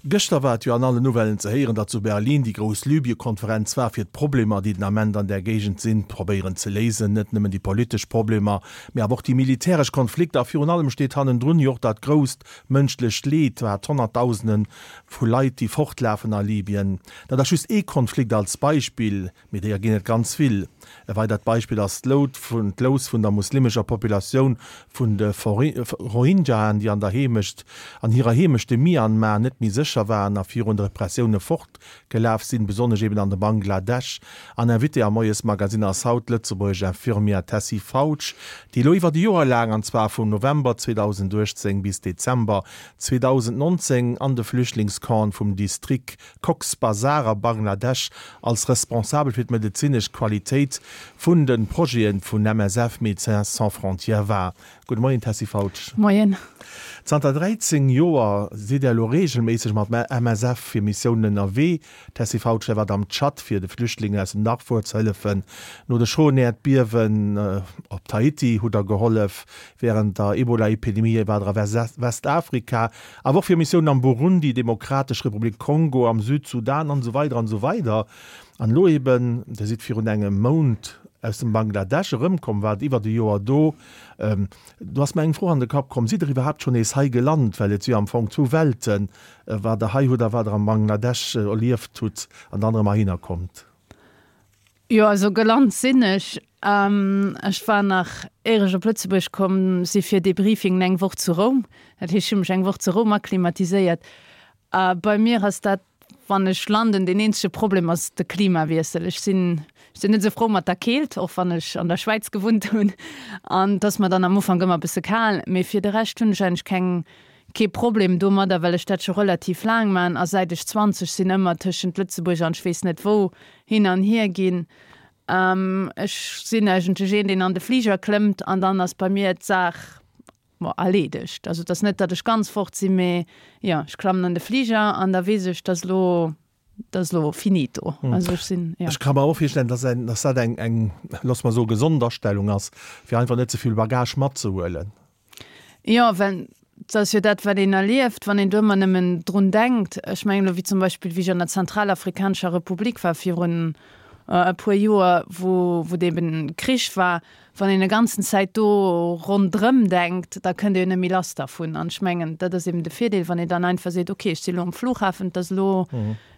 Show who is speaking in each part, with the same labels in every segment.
Speaker 1: Gëschter war et jo an allen Nouvellen ze héieren, datt zu Berlin déi grouss Libye-Konferenz war, fir d'Problemer, déi den Ament an där Géigend sinn, probéieren ze léisen. Net nëmmen déi politesch Problemer, mee awer och déi militäresch Konflikter. A virun allem steet hannendrun jo och dat grousst mënschlecht Leed, wat Honnertdausende vu Leit, déi fortlafen a Libyen. Dat ass just ee Konflikt als Beispill. Mee deeër ginn et ganz vill. E weidert Beispill ass d'Lous vun der muslimescher Populatioun vun de Rohingyaen, déi an der Heemecht, an hirer Heemecht, dem Myanmar, net méi sécher waren a virun de Repressioune fortgelaf sinn, besonnesch eben an de Bangladesch. An Invitée am Moiesmagazin ass haut d'lëtzebuergesch Infirmière Tessy Fautsch, déi elo iwwert e Joer laang, an zwar vum November 2018 bis Dezember 2019, an de Flüchtlingscampen vum Distrikt Cox's Bazar a Bangladesch als Responsabel fir d'medezinesch Qualitéit vun de Projete vun MSF, Médecins Sans Frontières, war. Gudde Moien, Tessy Fautsch.
Speaker 2: Moien.
Speaker 1: Zanter 13 Joer sidd Der elo reegelméisseg mat MSF fir Missiounen ënnerwee. Tessy Fautsch, Der waart am Tschad fir de Flüchtlingen aus dem Darfur ze hëllefen. No de schroen Äerdbiewen op Tahiti hutt Der gehollef. Wärend der Ebola-Epidemie waart Der a Westafrika. Awer och fir Missiounen am Burundi, Demokratesch Republik Kongo, am Südsudan an esou weider an esou weider. An elo eben, Dir sidd virun engem Mount aus dem Bangladesch erëmkomm, waart iwwert e Joer do. Do ass mer eng Fro an de Kapp komm, Sidd Der iwwerhaapt schonn nees hei gelant? Well et si jo am Fong zwou Welten, wat Der hei hutt a wat Der am Bangladesch erlieft hutt an dann erëm heihinner kommt.
Speaker 2: Jo, also gelant sinn ech. Ech war nach, éier ech op Lëtzebuerg komm si fir Debriefingen, eng Woch zu Roum. Dat heescht, ech hu mech eng Woch zu Roum akklimatiséiert. A bei mir ass dat, wann ech landen, deen eenzege Problem ass de Klimawiessel. Ech sinn, ech sinn net esou frou mat der Keelt, och wann ech an der Schwäiz gewunnt hunn. An et ass mer dann am Ufank ëmmer e bësse kal. Mee fir de Rescht hunn ech eigentlech keng, kee Problem domadder, well ech dat scho relativ laang man a säit ech 20 sinn ëmmer tëschent Lëtzebuerg an ech weess net wou hin an hier ginn. Ech sinn eigentlech een, deen an de Fliger klëmmt an dann ass bei mir d'Saach, bon, erleedegt. Also et ass net, datt ech ganz fort sinn, mee jo, ech klammen an de Fliger an da weess ech, dass elo, dat ass elo finito.
Speaker 1: Also ech sinn, jo. Ech ka mer och virstellen, dass eng, dass dat eng, eng, loosse mer soen, gesond Astellung ass, fir einfach net ze vill Bagage matzehuelen.
Speaker 2: Jo, well dat ass jo dat, wat een erlieft, wann een do ëmmer nëmmen drun denkt. Ech mengen elo wéi zum Beispill, wéi ech an der Zentralafrikanescher Republik war virun e puer Joer, wou wou eben Krich war, wann een e ganzen Zäit do ronderëm denkt, da kënnt ee jo net méi lass dervun. An ech mengen, dat ass eben de Virdeel, wann een dann einfach seet, okay, ech si elo um Flughafen, et ass elo,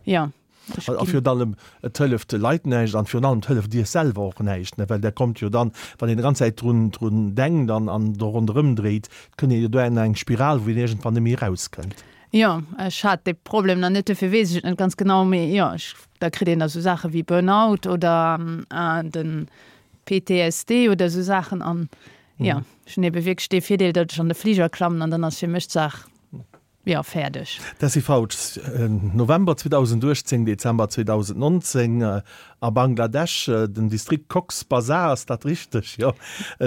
Speaker 2: jo.
Speaker 1: A virun allem, et hëlleft de Leit näischt an virun allem, et hëlleft Iech selwer och näischt, well Der kommt jo dann, wann een déi ganz Zäit drun, drun denkt an, an do ronderëm dréit, et kënnt een jo do an eng Spiral, wou een iergendwann net méi erauskënnt.
Speaker 2: Jo, ech hat dee Problem nach net, dofir weess ech et net ganz genau, mee jo, ech, da kritt een da sou Saache wéi Burnout oder de PTSD oder esou Saachen an jo, ech hunn ebe wierklech dee Virdeel, datt ech an de Fliger klammen an dann ass fir mech d'Saach Jo, fäerdeg.
Speaker 1: Tessy Fautsch, November 2018, Dezember 2019 a Bangladesch, den Distrikt Cox's Bazar, ass dat richteg? Jo,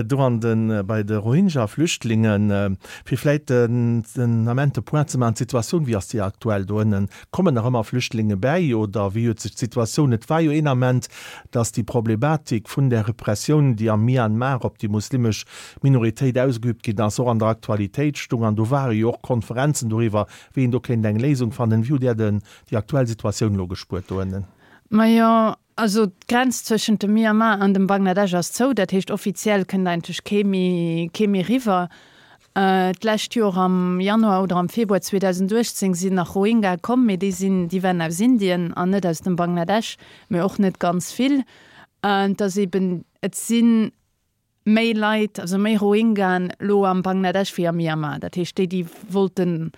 Speaker 1: do an de bei de Rohingya-Flüchtlingen. Fir vläit den Ament de Point ze maachen, d'Situatioun, wéi ass déi aktuell do ënnen? Kommen nach ëmmer Flüchtlinge bäi oder wéi huet sech d'Situatioun, et war jo een Ament, datt déi Problematik vun där Repressioun, déi am Myanmar op déi muslimesch Minoritéit ausgeübt ginn ass, och an der Aktualitéit stung an do ware jo och Konferenzen doriwwer, wéi een do kéint eng Léisung fannen. Wéi hutt Där denn déi aktuell Situatioun elo gespuert do ënnen?
Speaker 2: Majo, also d'Grenz zwëschent dem Myanmar an dem Bangladesch ass zou. Dat heescht, offiziell kënnt eigentlech kee méi, kee méi riwwer. D'lescht Joer am Januar oder am Februar 2018 sinn nach Rohingya komm, mee déi sinn, déi waren aus Indien an net aus dem Bangladesch, mee och net ganz vill. Et ass eben, et sinn méi Leit, also méi Rohingyaen elo am Bangladesch wéi am Myanmar. Dat heescht, déi, déi wollte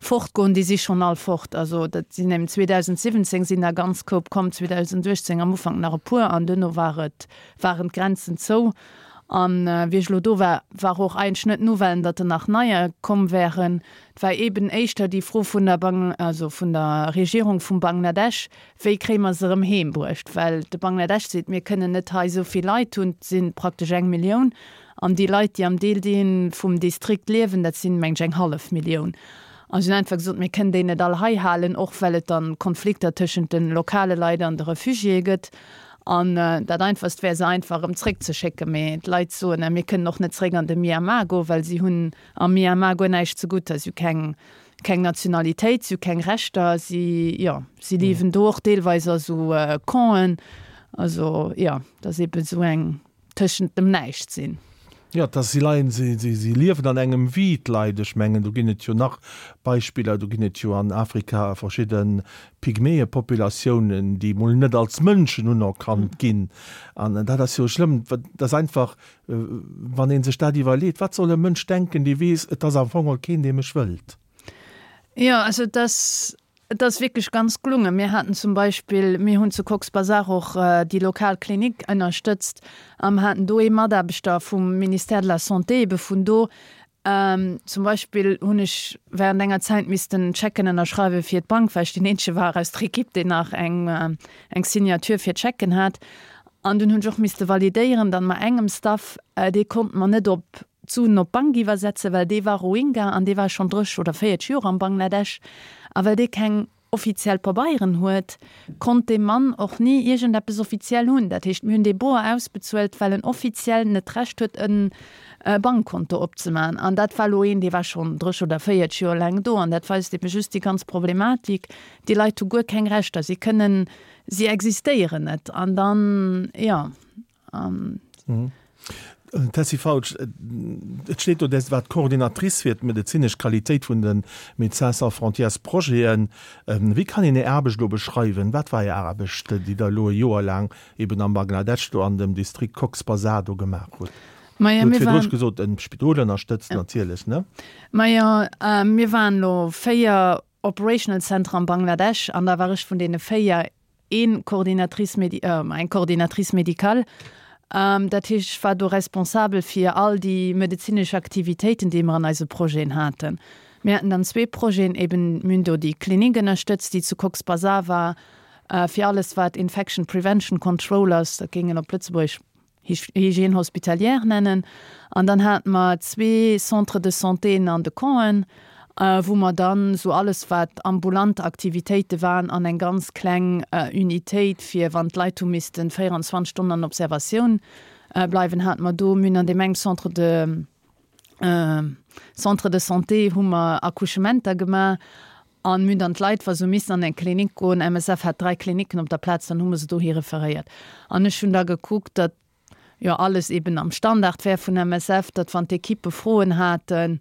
Speaker 2: fortgoen, déi si schonn all fort. Also dat sinn eben 2017 sinn der ganz Koup komm, 2018 am Ufank nach e puer an duerno war et, waren d'Grenzen zou. An wéi ech elo do war, war och eigentlech net d'Nouvellen, datt der nach neier komm wären. Et war eben éischter déi Fro vun der Bang, also vun der Regierung vum Bangladesch, Wéi kréie mer se erëm heem bruecht? Well de Bangladesch seet, mir kënnen net hei esou vill Leit hunn, et si praktesch eng Millioun. An déi Leit, déi am Deel dee vum Distrikt liewen, dat sinn, meng ech, eng hallef Millioun. An si hunn einfach gesot, mir kënnen déi net all hei halen, och well et dann Konflikter tëschent de lokale Leit an de Refugiéë gëtt. An dat Einfachst wär, se einfach erëm zréckzeschécken. Mee d'Leit soen, Mir kënnen och net zréck an de Myanmar goen, well si hunn am Myanmar guer näischt zegutt. Si hu keng, keng Nationalitéit, si hu keng Rechter, si, jo, si liewen do och deelweis a sou Campen. Also, jo, dat ass eebe sou eng tëschent dem Näischt sinn.
Speaker 1: Jo, et ass, si leien, si, si, si liewen an engem Vide, d'Leit. Ech mengen, do ginn et jo nach Beispiller, do ginn et jo an Afrika verschidde Pygmäepopulatiounen, déi mol net als Mënschen unerkannt ginn. An dat ass jo schlëmm. Dat ass einfach, wann ee sech dat iwwerleet, wat soll e Mënsch denken, dee weess, et ass am Fong geholl keen, dee mech wëllt?
Speaker 2: Jo, also et ass, Et ass wierklech ganz gelungen. Mir haten zum Beispill, mir hunn zu Cox's Bazar och déi lokal Klinik ënnerstëtzt a mer haten do ee Mataarbechter vum Ministère de la Santé ebe vun do. Zum Beispill hunn ech während enger Zäit missten Schecken ënnerschreiwe fir d'Bank, well ech deen eenzege war aus der Ekipp, deen nach eng eng Signature fir d'Schecken hat. An dunn hunn ech och misste validéieren, datt mer engem Staff, dee konnte mer net op d'Suen op d'Bank iwwersetzen, well dee war Rohingya an dee war schonn 30 oder 40 Joer am Bangladesch. A well dee keng offiziell Pabeieren huet, konnt dee Mann och ni iergendeppes offiziell hunn. Dat heescht, mir hunn dee boer ausbezuelt, well en offiziell net d'Recht huet, e Bankkonto opzemaachen. An dat war elo een, dee war schonn 30 oder 40 Joer laang do. An dat weist ebe just déi ganz Problematik, Déi Leit hu guer keng Rechter, si kënnen, si existéieren net. An dann, jo.
Speaker 1: Tessy Fautsch, Et steet do, Dir waart Coordinatrice fir d'medezinesch Qualitéit vun de Médecins sans frontières Projeten. Wéi kann een Är Aarbecht elo beschreiwen? Wat war Är Aarbecht, déi Der elo e Joer laang eben am Bangladesch do an dem Distrikt Cox's Bazar do gemaach hutt?
Speaker 2: Majo,
Speaker 1: mir waren. Dir hutt virdru gesot, e Spidol ënnerstëtzt natierlech, ne?
Speaker 2: Majo, mir waren elo 4 Operational Centre am Bangladesch an da war ech vun deene 4 een Coordinatrice médi-, eng Coordinatrice médicale. Dat heescht, ech war do responsabel fir all déi medezinesch Aktivitéiten, déi mer an eise Projeten haten. Mir haten dann zwee Projeten, eben mir hunn do déi Klinik ënnerstëtzt, déi zu Cox's Bazar war, fir alles wat Infection Prevention Control ass, dat géing een op Lëtzebuergesch Hygiène hospitalière nennen. An dann hate mer zwee Centres de santéen an de Campen, wou mer dann esou alles wat ambulant Aktivitéite waren an eng ganz kleng Unitéit fir wann d'Leit hu missten 24 Stonnen an Observatioun bleiwen, hate mer do. Mir hunn an deem engem Centre de Centre de santé hu mer Accouchementer gemaach an mir hunn dann d'Leit, wa se hu missen an eng Klinik goen, MSF hat 3 Kliniken op der Plaz, dann hu mer se dohi referéiert. An ech hunn da gekuckt, datt jo alles eben am Standard wär vun MSF, datt wann d'Ekippe Froen haten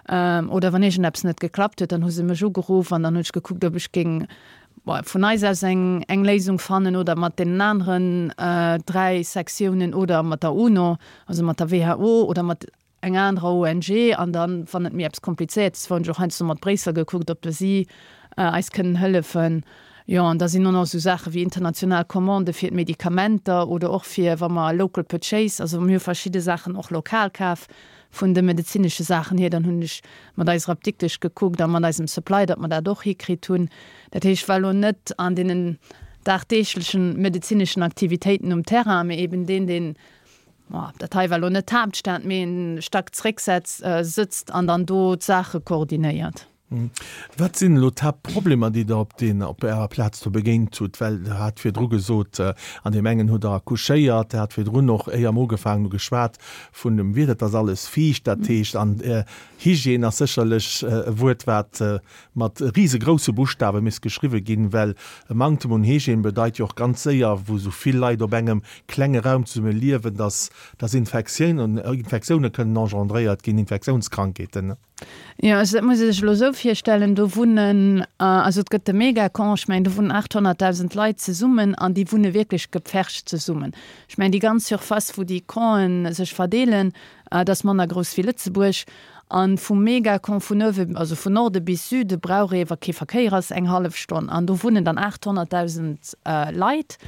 Speaker 2: oder wann iergendeppes net geklappt huet, dann hu se mech ugeruff an dann hunn ech gekuckt, ob ech géing vun eis aus eng eng Léisung fannen oder mat deenen aneren 3 Sektiounen oder mat der UNO, also mat der WHO oder mat eng anerer ONG an dann, wann et méi eppes Komplizéiertes war, hunn ech och heiansdo mat Bréissel gekuckt, ob si eis kënnen hëllefen. Jo, an da sinn och nach esou Saache wéi international Commandë fir d'Medikamenter oder och fir wa mer local purchase, also mir hu verschidde Saachen och lokal kaf vun de medezinesche Saachen hier, dann hunn ech mat eiser Apdiktesch gekuckt a mat eisem Supply, datt mer dat och hikritt hunn. Dat heescht, ech war elo net an deenen dagdeeglechen medezineschen Aktivitéiten um Terrain, mee eben deen, deen Ma dat hei war elo net d'Haaptstad, mee en Stack zréck sëtzt an dann do d'Saache koordinéiert.
Speaker 1: Wat sinn elo d'Haaptproblemer, déi Der op den, op Ärer Plaz do begéint hutt? Well Der hat virdru gesot, an deem engen hutt Der accouchéiert, Der hat virdrun och, éier mer ugefaangen hu geschwat vun dem Wieder, et ass alles fiicht, dat heescht, an Hygiène ass sécherlech e Wuert, wat mat risegrousse Buschtawe misst geschriwwe ginn, well e Manktem un Hygiène bedeit jo och ganz séier, wou esou vill Leit op engem klenge Raum zesumme liewen, dass dass Infektiounen Infektioune kënnen engendréiert ginn, Infektiounskrankheeten.
Speaker 2: Jo, also dat muss ee sech elo esou virstellen, do wunnen, also et gëtt de Megacamp, ech mengen do wunnen 800.000 Leit zesummen an déi wunne wierklech gepfercht zesummen. Ech mengen déi ganz Surface, wou déi Campen sech verdeelen, dat ass manner grouss wéi Lëtzebuerg. An vum Megacamp vun uewe, also vun Norde bis Süde brauch ee, wa kee Verkéier ass, eng hallef Stonn. An do wunnen dann 800.000 Leit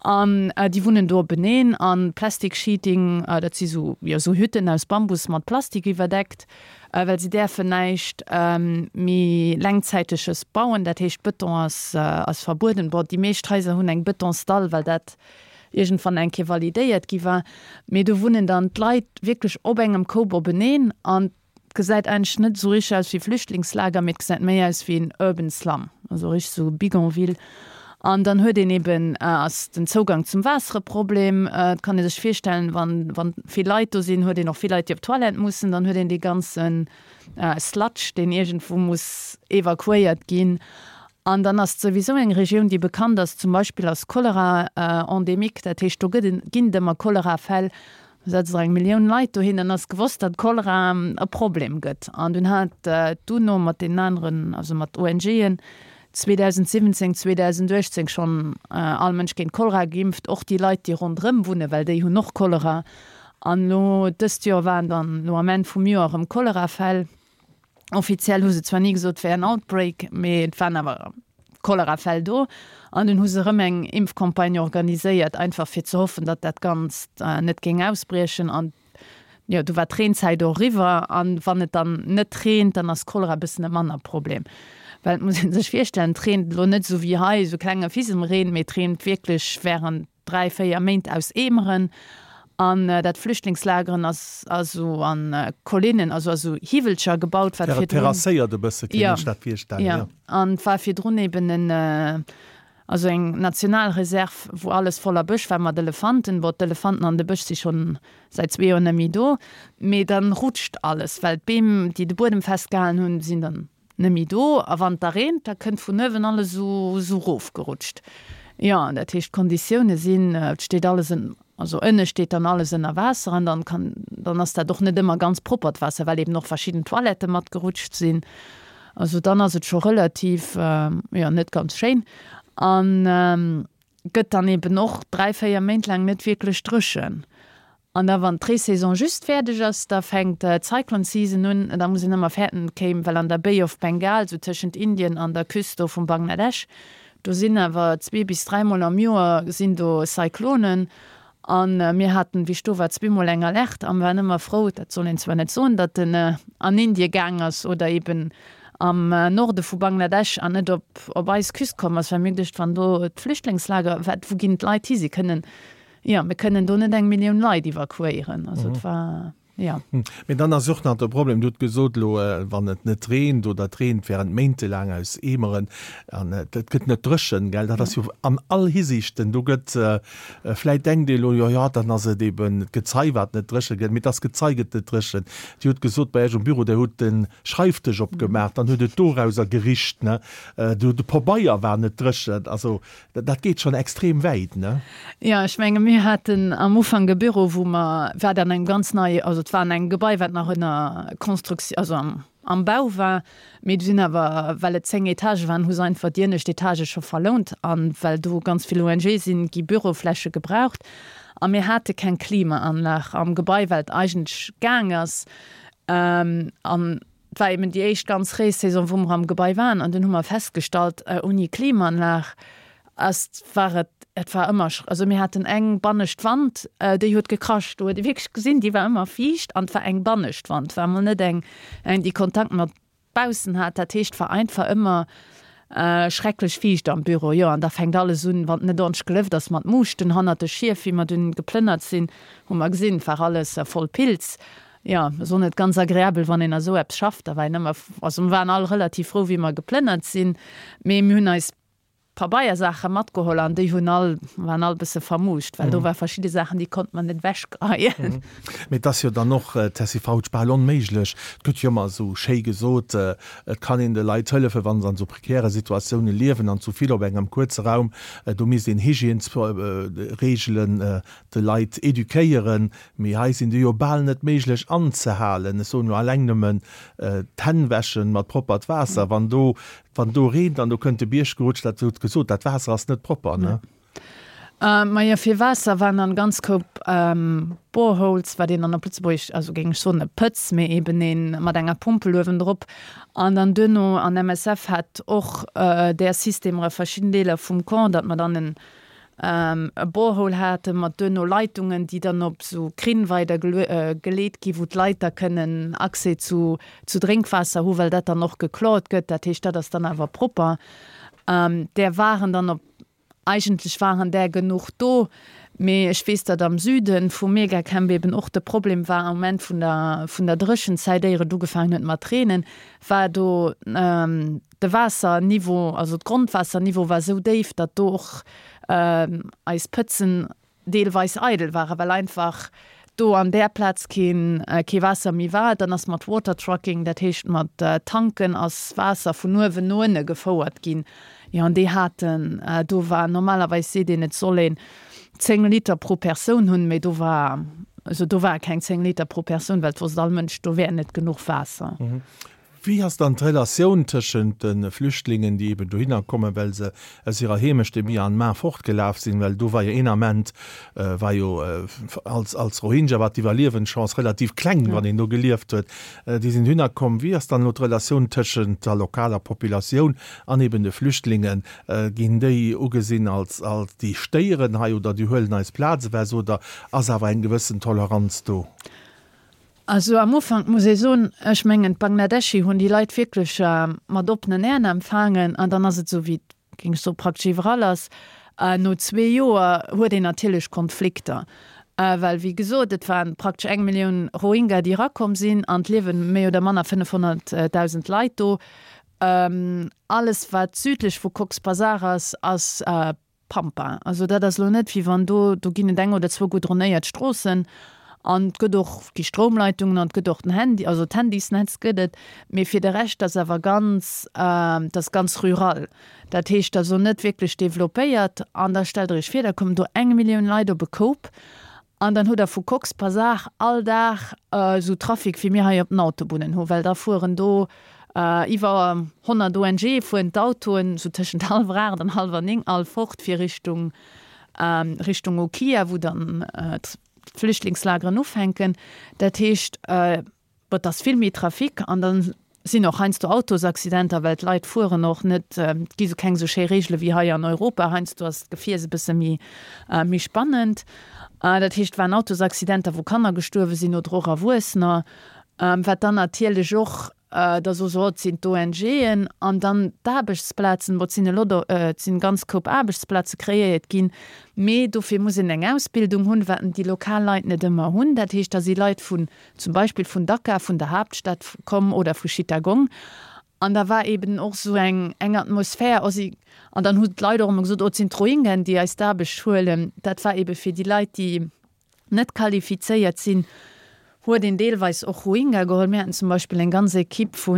Speaker 2: an déi wunnen do openeen. An Plastic Sheeting, dat si sou, jo, sou Hütten aus Bambus mat Plastik iwwerdeckt, well si däerfen näischt méi Längzäiteges bauen. Dat heescht, Bëton ass, ass verbueden. Bon, déi meescht Haiser hunn eng Bëtonsdall, well dat iergendwann eng Kéier validéiert gi war, mee do wunnen dann d'Leit wierklech op engem Koup openeen an et gesäit eigentlech net esou richteg aus wéi Flüchtlingslager, mee et gesäit méi aus wéi en urban slum, also richteg esou Bidonville. An dann huet een eben, ass den Zougang zum Waasser e Problem. Et kann ee sech virstellen, wann, wann vill Leit do sinn, huet een och vill Leit, déi op d'Toilette mussen. Dann huet een dee ganze Sludge, deen iergendwou muss evakuéiert ginn. An dann ass et souwisou eng Regioun, déi bekannt ass zum Beispill als Cholera endémique. Dat heescht, do gëtt, ginn et ëmmer Cholerafäll. Do setze der eng Millioun Leit dohin, dann ass gewosst, datt Cholera e Problem gëtt. An dunn hat d'UNO mat deenen aneren, also mat ONGen, 2017, 2018 schonn all Mënsch géint Cholera geimpft, och déi Leit, déi ronderëm wunnen, well déi hunn och Cholera. An elo dëst Joer waren dann elo am Enn vum Joer erëm Cholerafäll. Offiziell hu se zwar ni gesot, et wär en Outbreak, mee et waren awer Cholerafäll do. An dunn hu se erëm eng Impfcampagne organiséiert, einfach fir ze hoffen, datt dat Ganzt net géing ausbriechen. An jo, du war d'Reenzäit och eriwwer. An wann et dann net reent, dann ass Cholera e bëssen e manner Problem. Well et muss ee sech virstellen, et reent elo net esou wéi hei, esou klenge Fisemreen, mee et reent wierklech wärend 3, 4 Méint aus Eemeren an dat Flüchtlingslageren ass also an Collinnen, also a sou Hiwwelcher gebaut, wat virdrun.
Speaker 1: Terrasséiert e bësse, kéint ech dat virstellen,
Speaker 2: jo. Jo, an et war virdrun eben en, also eng Nationalreserv, wou alles voller Bësch war mat Elefanten. Bon, d'Elefanten an de Bësch si schonn säit zwee Joer net méi do, mee dann rutscht alles, well d'Beem, déi de Buedem festgehalen hunn, sinn dann Net méi do, a wann et da reent, da kënnt vun uewen alles esou esou rofgerutscht. Jo, an dat heescht, d'Konditioune sinn, et steet alles ën, also ënne steet dann alles ënner Waasser an dann kann, dann ass dat och net ëmmer ganz proppert Waasser, well eben och verschidden Toilette matgerutscht sinn. Also dann ass et scho relativ, jo, net ganz schéin an gëtt dann eben och 3, 4 Méint laang net wierklech dréchen. An da wann d'Reesaison just fäerdeg ass, da fänkt d'Cyclone Season un. Da muss een ëmmer fäerten, et kéim, well an der Bay of Bengal, sou tëschent Indien an der Küst do vum Bangladesch, do sinn awer zwee bis dräimol am Joer sinn do Cyclonen. A mir haten, wéi ech do war, zweemol eng Alerte a mir waren ëmmer frou, dat soll een zwar net soen, datt en an Indie gaang ass oder eben am Norde vu Bangladesch an net op op eis Küst komm ass, well mir hu geduecht, wann do d'Flüchtlingslager, wat, wou ginn d'Leit hi? Si kënnen Jo, mir kënnen do net eng Millioun Leit evakuéieren. Also et war, jo.
Speaker 1: Mee dann ass och nach de Problem, Dir hutt gesot elo, wann et net reent oder et reent während méintelaang aus Eemeren an et gëtt net dréchen, gell, dat ass jo an all Hisiichten, do gëtt, vläit denkt ee elo, jo, jo, dann ass et eben d'Gezei wat net dréche gëtt, mee dass Gezei gëtt net dréchen. Dir hutt gesot bei Iech um Büro, Dir hutt de Schreifdësch opgemaach, dann huet et dorauser gericht, ne, de Pabeier war net dréchen, also Dat geet schonn extrem wäit, ne?
Speaker 2: Jo, ech menge mir haten am Ufank e Büro, wou mer, wat an engem ganz nei, also et war an engem Gebai, wat nach ënner Construction, also am, am Bau war, mee du sinn awer, well et 10 Etagë waren, hu se einfach déi ënnescht Etagë scho verlount an well do ganz vill ONGe sinn, gi Bürofläche gebraucht a mir hate keng Klimaanlag am Gebai, well et eigentlech gaang ass an Et war eben déi éischt ganz Reessaison, wou mer am Gebai waren an dunn hu mer festgestallt, ouni Klimaanlag ass, war et, et war ëmmer, also mir haten eng bannescht Wand, déi huet gekrascht, do huet ee wierklech gesinn, déi war ëmmer fiicht an et war eng bannescht Wand, war emol net eng, eng déi Kontakt mat baussen hat. Dat heescht, et war einfach ëmmer schrecklech fiicht am Büro. Jo, an da fänkt alles un, wann et net ordentlech gelëft ass, mat Muuschten hannert de Schief. Wéi mer dunn geplënnert sinn, hu mer gesinn, et war alles voll Pilz. Jo, ass och net ganz agreabel, wann een a sou eppes schafft. Da war een ëmmer, also mer waren all relativ frou, wéi mer geplënnert sinn, mee mir hunn eis Pabeiersaache matgeholl an déi hunn all, waren all bësse vermuuscht, well do war verschidde Saachen, déi konnte mer net ewechgeheien.
Speaker 1: Mee et ass jo dann och, Tessy Fautsch, bal onméiglech, et gëtt jo ëmmer esou schéi gesot, et kann een de Leit hëllefen, wa se an esou prekäre Situatioune liewen an zu vill op engem kuerze Raum, do misst een Hygiènesreegelen de Leit eduquéieren, mee hei sinn déi jo bal net méiglech anzehalen. Ech soen elo alleng nëmmen d'Hänn wäschen mat proppert Waasser, wann do, wann do reent an do kënnt de Bierg gerutscht, dat hutt gesot, dat Waasser ass net propper, ne?
Speaker 2: Majo, fir Waasser waren dann ganz Koup Boreholes, wat een dann op Lëtzebuergesch, also géing ech soen e Pëtz, mee eben een mat enger Pompel uewendrop. An dann duerno, an MSF hat och där Systemer a verschidden Deeler vum Camp, datt mer dann en e Borehole hate mat duerno Leitungen, déi dann op esou Krinn weider geleet gi wou d'Leit da kënnen Accès zu zu Drénkwaasser hu well dat dann och geklort gëtt. Dat heescht, dat ass dann awer propper. Där waren dann op, eigentlech waren där genuch do, mee ech weess, datt am Süde vum Megacamp eben och de Problem war am Moment vun der vun der Dréchenzäit, éier et ugefaangen huet mat reenen, war do. De Waasserniveau, also d'Grondwaasserniveau war esou déif, datt do och eis Pëtzen deelweis eidel waren, well einfach do an där Plaz keen, kee Waasser méi war. Dann ass mat Water Trucking, dat heescht mat Tanken, ass Waasser vun uewen no ënne gefouert ginn. Jo, an déi haten, do war, normalerweis seet een, et soll een 10 Liter pro Persoun hunn, mee do war, also do ware keng 10 Liter pro Persoun, well et wosst all Mënsch, do wär net genuch Waasser.
Speaker 1: Wéi ass dann d'Relatioun tëschent de Flüchtlingen, déi eben dohinner kommen, well se aus hirer Heemecht, dem Myanmar, fortgelaf sinn, well do war jo een Ament, war jo als, als Rohingya war d'Iwwerliewenschance relativ kleng, wann een do gelieft huet, déi sinn dohinner komm. Wéi ass dann elo d'Relatioun tëschent der lokaler Populatioun an eben de Flüchtlingen? Ginn déi ugesinn als, als déi stéieren hei oder déi huelen eis Plaz ewech oder ass awer eng gewëssen Toleranz do?
Speaker 2: Also am Ufank muss ee soen, ech mengen d'Bangladeschi hunn déi Leit wierklech mat oppenen Äerm empfaangen an dann ass et esou wéi et, géing ech soen, praktesch iwwerall ass, no zwee Joer huet een natierlech Konflikter, well wéi gesot, et waren praktesch eng Millioun Rohingya déi erakomm sinn an et liewe méi oder manner 500.000 Leit do. Alles wat südlech vu Cox's Bazar ass, ass Pampa. Also dat ass elo net wéi wann do, do ginn et eng oder zwou goudronéiert Stroossen an et gëtt och, gi Stroumleitungen an et gëtt och den Handy, also d'Handysnetz gëtt et, mee fir de Rescht ass awer ganz, et ass ganz rural. Dat heescht, et ass elo net wierklech developpéiert an da stellt Der Iech vir, da kommen do eng Millioun Leit op e Koup An dann hutt der vu Cox's Bazar all Dag esou Trafic wéi mir hei op den Autobunnen hu, well da fueren do iwwer 100 ONGe fueren d'Autoen esou tëschent hallwer 8 an hallwer 9 all fort fir Richtung Richtung Ukhia, wou dann d'Flüchtlingslageren ufänken. Dat heescht. Bon, et ass vill méi Trafic an da sinn och heiansdo Autosaccidenter, well d'Leit fueren och net, et gi sou keng sou schéi Reegele wéi hei an Europa. Heiansdo ass d'Gefiers e bësse méi, méi spannend. Dat heescht, et waren Autosaccidenter, wou Kanner gestuerwe sinn oder och Erwuessener, wat dann natierlech och da so se, oh, et sinn d'ONGen an dann d'Aarbechtsplazen, bon, et sinn elo do, et sinn ganz Koup Aarbechtsplaze kreéiert ginn, mee dofir muss een eng Ausbildung hunn, wat déi lokal Leit net ëmmer hunn. Dat heescht, da si Leit vun zum Beispill vun Dhaka, vun der Haaptstad komm oder vu Chittagong. An da war eben och esou eng, eng Atmosphär, oh si, an dann hunn d'Leit och ëmmer gesot, oh et sinn d'Rohingyaen, déi eis d'Aarbecht huelen. Dat war ebe fir déi Leit, déi net qualifizéiert sinn, huet een deelweis och Rohingya geholl. Mir haten zum Beispill eng ganz Equipe vu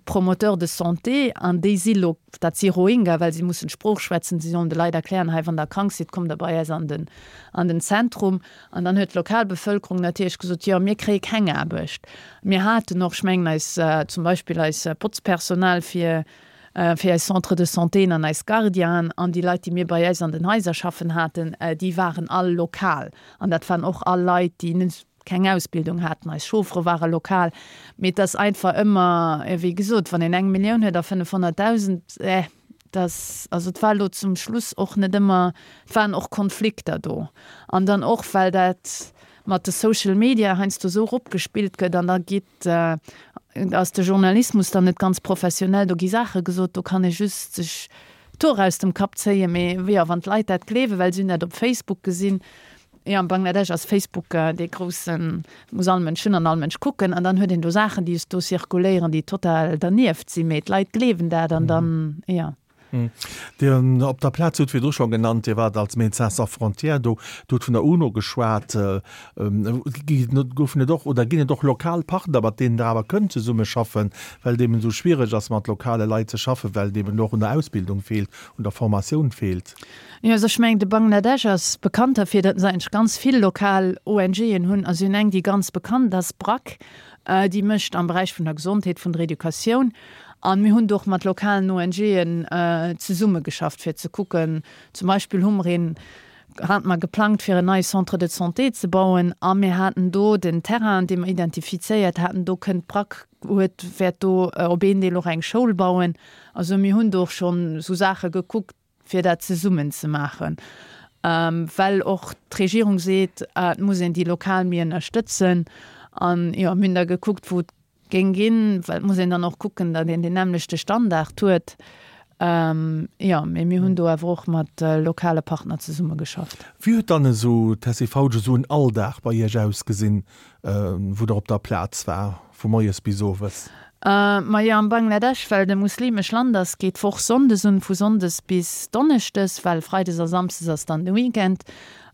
Speaker 2: Promoteurs de santé an déi si lo, dat si Rohingya, well si mussen d'Sprooch schwätzen, si sollen de Leit erklären, hei wann der krank sidd, kommt der bei eis an den, an den Zentrum. An dann huet d'Lokalbevölkerung natierlech gesot, jo, mir kréie keng Aarbecht. Mir haten och, ech mengen eis, zum Beispill eis Botzpersonal fir, fir eis Centres de santéen an eis Gardienen an déi Leit, déi mir bei eis an den Haiser schaffen haten, déi waren all lokal. An dat waren och all Leit, déi net, keng Ausbildung haten. Eis Chauffere ware lokal. Mee et ass einfach ëmmer, wéi gesot, wann een eng Millioun huet a 500.000, eh, Dass, also et war elo zum Schluss och net ëmmer, et waren och Konflikter do. An dann och, well dat mat de Social Media heiansdo esou eropgespillt gëtt an da geet, ass de Journalismus dann net ganz professionell, do gi Saache gesot, do kann ee just sech d'Hoer aus dem Kapp zéien. Mee jo, wann d'Leit dat gleewen, well se hunn dat op Facebook gesinn, Jo, am Bangladesch ass Facebook dee groussen, muss all Mënsch hunn an all Mënsch kucken. An dann huet een do Saachen, déi do zirkuléieren, déi total dernieft sinn, mee d'Leit gleewen dat an dann, jo.
Speaker 1: Dir op der Plaz hutt virdru scho genannt, Dir waart als Médecins sans frontières do, Dir hutt vun der UNO geschwat. Goufen et och oder ginn et och lokal Partner, mat deenen Der awer kënnt zesummeschaffen, well et eben esou schwiereg ass, mat lokale Leit ze schaffen, well et eben och un der Ausbildung feelt, un der Formatioun feelt?
Speaker 2: Jo, also ech mengen, de Bangladesch ass bekannt derfir, datt se eigentlech ganz vill lokal ONGen hunn. A si hunn eng, déi ganz bekannt ass, BRAC, déi mécht am Beräich vun der Gesondheet, vun der Educatioun. A mir hunn do och mat lokalen ONGen zesummegeschafft, fir ze kucken, zum Beispill hu mer een, hate mer geplangt, fir en neie Centre de santé ze bauen a mir haten do den Terrain, dee mer identifizéiert haten, do kënnt d'BRAC, huet, wäert do op een Deel och eng Schoul bauen. Also mir hunn do och schonn esou Saache gekuckt, fir dat zesummen ze maachen, well och d'Regierung seet, et muss een déi lokal méi ënnerstëtzen. An jo, mir hunn da gekuckt, wou et géing ginn, well et muss een dann och kucken, datt een deen nämmlechte Standard huet. Jo, mee mir hunn do awer och mat lokale Partner zesummegeschafft.
Speaker 1: Wéi huet dann esou, Tessy Fautsch, esou en Alldag bei Iech ausgesinn, wou Der op der Plaz war, vu moies bis owes?
Speaker 2: Majo, am Bangladesch, well et e muslimesch Land ass, geet d'Woch Sonndes un, vu Sonndes bis Donneschdes, well Freides a Samsdes ass dann de Weekend.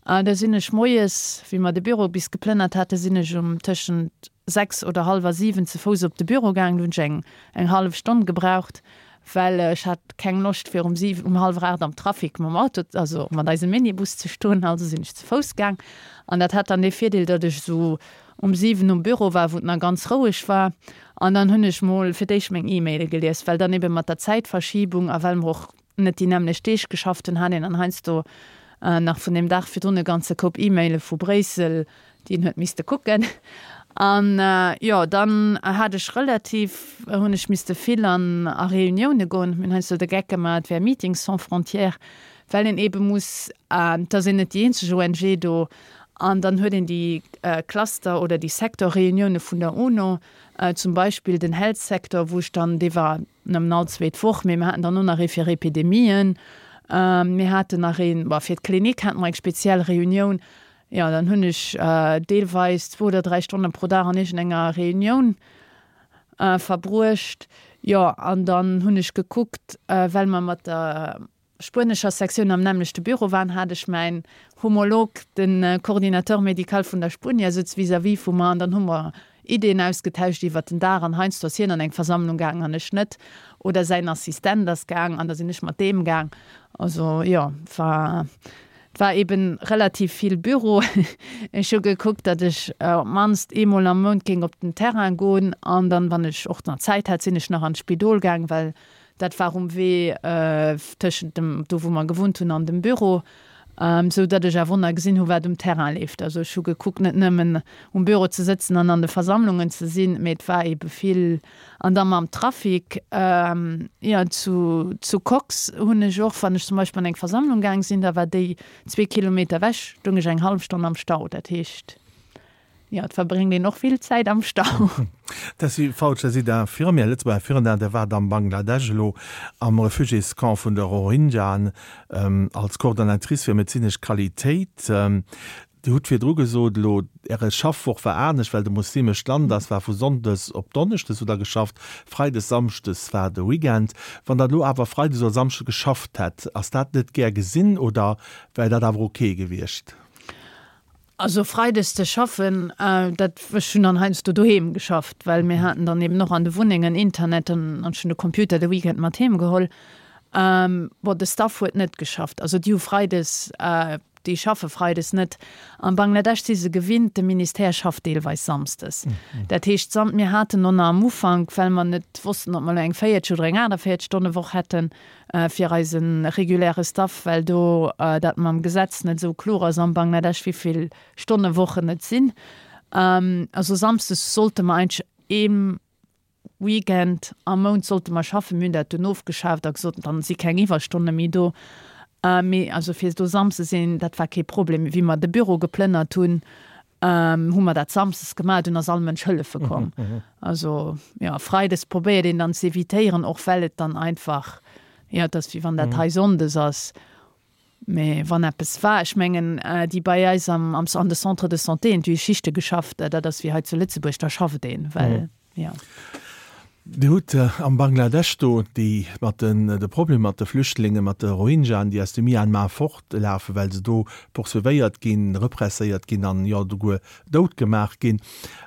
Speaker 2: Da sinn ech moies, wéi mer de Büro bis geplënnert haten, sinn ech um tëschent 6 oder hallwer 7 ze Fouss op de Büro gaang. Do hunn ech eng eng hallef Stonn gebraucht, well ech hat keng Loscht fir um 7, um hallwer 8 am Trafic mam Auto, also mat eisem Minibus ze stoen. Also sinn ech ze Fouss gaang. An dat hat dann dee Virdeel, datt ech esou um 7 um Büro war, wou et nach ganz roueg war. An dann hunn ech mol fir d'éischt meng E-Maile gelies, well dann ebe mat der Zäitverschiebung a well mer och net déi nämmlecht Deeg geschafft hunn, hat een dann heiansdo nach vun deem Dag virdrun e ganze Koup E-Maile vu Bréissel, déi een huet misste kucken. An jo, dann hat ech relativ, hunn ech misste vill an a Reunioune goen. Mir hunn heiansdo de Geck gemaach, et wär Meetings sans frontières, well een ebe muss, et ass een net déi eenzeg ONG do, An dann huet een déi Cluster oder déi Secteur-Reunioune vun der UNO, zum Beispill den Health Sector, wou ech dann, dee war nëmmen all zweet Woch, mee mir haten dann och nach ee fir Epidemien, mir haten nach een, bon, fir d'Klinik hate mer eng speziell Reunioun. Jo, dann hunn ech deelweis zwou oder dräi Stonne pro Dag an iergendenger Reunioun verbruecht. Jo, an dann hunn ech gekuckt, well mer mat der spuenescher Sektioun am nämmlechte Büro waren, hat ech mäin Homolog, de Coordinateur médical vun der Spuenier, souz vis-à-vis vu mer an dann hu mer Ideeën ausgetauscht iwwert den Dag an heiansdo ass hien an eng Versammlung gaang an ech net oder säin Assistent ass gaang an da sinn ech mat deem gaang. Also jo, war et war eben relativ vill Büro. Ech hu gekuckt, datt ech op d'mannst eemol am Mount géing op den Terrain goen an dann, wann ech och nach Zäit hat, sinn ech nach an d'Spidol gaang, well Dat war um Wee tëschent dem, do wou mer gewunnt hunn, an dem Büro, sou datt ech awer nach gesinn hu wat um Terrain leeft. Also ech hu gekuckt net nëmmen um Büro ze sëtzen an an de Versammlungen ze sinn, mee et war eebe vill. An da mam Trafic, jo zu zu Cox hunn ech och, wann ech zum Beispill an eng Versammlung gaang sinn, da war déi zwee Kilometer ewech, stoung ech eng hallef Stonn am Stau. Dat heescht. Jo, et verbréngt een och vill Zäit am Stau.
Speaker 1: Tessy Fautsch, Der sidd Infirmière, Lëtzebuerger Infirmière, Der waart am Bangladesch, elo am Refugiéscamp vun de Rohingyaen als Coordonnatrice fir medezinesch Qualitéit. Dir hutt virdru gesot, elo Äre Schaffwoch war anescht, well et e muslimescht Land ass, war vu Sonndes op Donneschdes hutt Der geschafft, Freides, Samschdes war de Weekend. Wann Der elo awer Freides oder Samschdes geschafft hätt, ass dat net gär gesinn oder wär dat awer ok gewiescht?
Speaker 2: Also freides ze schaffen, dat, ech hunn dann heiansdo doheem geschafft, well mir haten dann eben och an de Wunnengen Internet an ech hunn de Computer de Weekend mat heem geholl. Bon, de Staff huet net geschafft, also déi hu freides, déi schaffe freides net. Am Bangladesch si se gewinnt, de Ministère schafft deelweis samsdes. Dat heescht, mir haten och nach am Ufank, well mer net wossten, ob mer elo eng 40 oder eng 48 Stonne Woch hätten, fir eise reguläre Staff, well do dat mam Gesetz net esou kloer ass am Bangladesch, wéi vill Stonnewochen et sinn. Also samsdes sollte mer eigentlech ee Weekend am Mount sollte mer schaffen. Mir hunn dat dunn ofgeschaaft a gesot, dann si keng Iwwerstonne méi do. Mee also fir do samsdes sinn, dat war kee Problem. Wéi mer de Büro geplënnert hunn, hu mer dat samsdes gemaach, dunn ass all Mënsch hëllefe komm. Also jo, freides probéiert een dann ze evitéieren, och well et dann einfach, jo, et ass wéi wann dat hei sonndes ass. Mee wann eppes war, ech mengen déi bei eis am an de Centre de santé, déi hu Schichte geschafft, dat ass wéi hei zu Lëtzebuerg, da schafft een, well jo.
Speaker 1: Dir hutt am Bangladesch do déi mat den, de Problem mat de Flüchtlingen, mat de Rohingyaen, déi aus dem Myanmar fortlafen, well se do poursuivéiert ginn, represséiert ginn an jo esouguer dout gemaach ginn.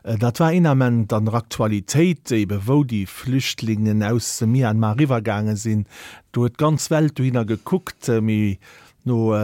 Speaker 1: Dat war een Ament an der Aktualitéit, ebe wou déi Flüchtlingen aus dem Myanmar eriwwergaange sinn. Do huet d'ganz Welt dohinner gekuckt, mee No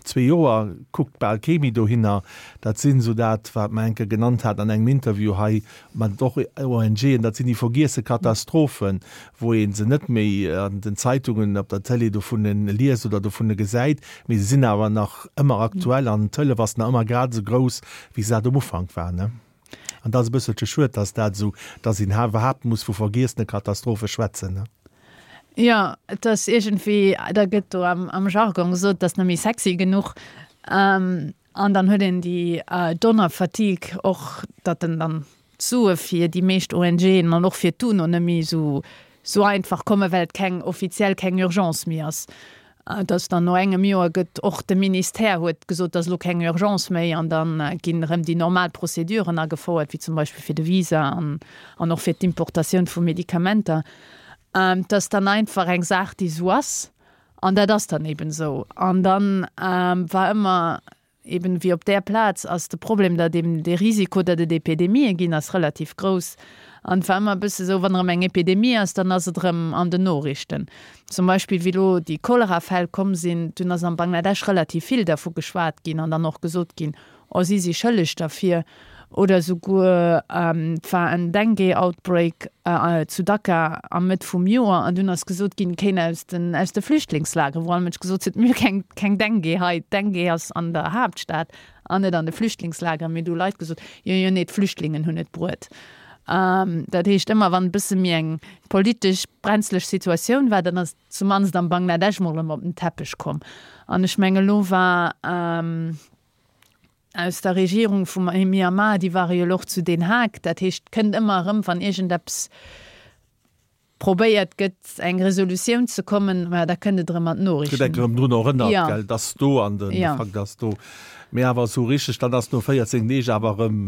Speaker 1: zwee Joer kuckt bal kee méi dohinner. Dat sinn esou dat, wat mer eng Kéier genannt haten an engem Interview hei mat och ONGen, dat sinn déi vergiesse Katastrophen, wou ee se net méi an den Zeitungen, op der Tëlee dovun liest oder dovun gesäit, mee se sinn awer nach ëmmer aktuell an d'Hëllef ass nach ëmmer grad esou grouss, wéi se dat um Ufank war. An dat ass e bësselche schued, dass dat esou, dass een iwwerhaapt muss vu vergiessene Katastrophe schwätzen.
Speaker 2: Jo, et ass iergendwéi, da gëtt do am, am Jargon gesot, et ass net méi sexy genuch. An dann huet een déi Donner-Fatigue och, datt en dann d'Sue fir déi meescht ONGen an och fir d'UNO net méi esou, esou einfach kommen, well et keng offiziell keng Urgence méi ass. Dass dann no engem Joer gëtt och de Ministère huet gesot, dass elo keng Urgence méi an da ginn erëm déi normal Prozeduren agefouert, wéi zum Beispill fir de Visa an an och fir d'Importatioun vu Medikamenter. Dass dann einfach eng Saach, déi esou ass an dat ass dann eben esou. An dann war ëmmer Eben wéi op där Plaz ass de Problem, datt eben dee Risiko, datt et Epidemië ginn, ass relativ grouss. An et war ëmmer e bësse esou, wann erëm eng Epidemie ass, dann ass et erëm an den Noriichten. Zum Beispill wéi elo déi Cholerafäll komm sinn, dunn ass am Bangladesch relativ vill dervu geschwat ginn an dann och gesot ginn, oh si si schëlleg derfir. Oder esouguer et war en Dengue-Outbreak zu Dhaka am Mëtt vum Joer an dunn ass gesot ginn, kéint aus den aus de Flüchtlingslageren, wou all Mënsch gesot huet, mir hu keng keng Dengue hei, d'Dengue ass an der Haaptstad an net an de Flüchtlingslageren. Mee du hu Leit gesot, jo jo nee, d'Flüchtlingen hunn et bruet. Dat heescht, ëmmer wann e bësse méi eng politesch brenzleg Situatioun war, dann ass zumannst am Bangladesch mol erëm op den Teppech komm. An ech menge lo war. Aus der Regierung vum Myanmar, déi ware jo elo och zu Den Haag. Dat heescht, et kënnt ëmmer erëm, wann iergendeppes probéiert gëtt, eng Resolutioun ze kommen, ma da kënnt et erëm an d'Noriichten.
Speaker 1: Gëtt enk erëm drun erënnert, gell, et ass do an de Fakt ass do. Mee awer esou richteg, dann ass no 14 Deeg awer erëm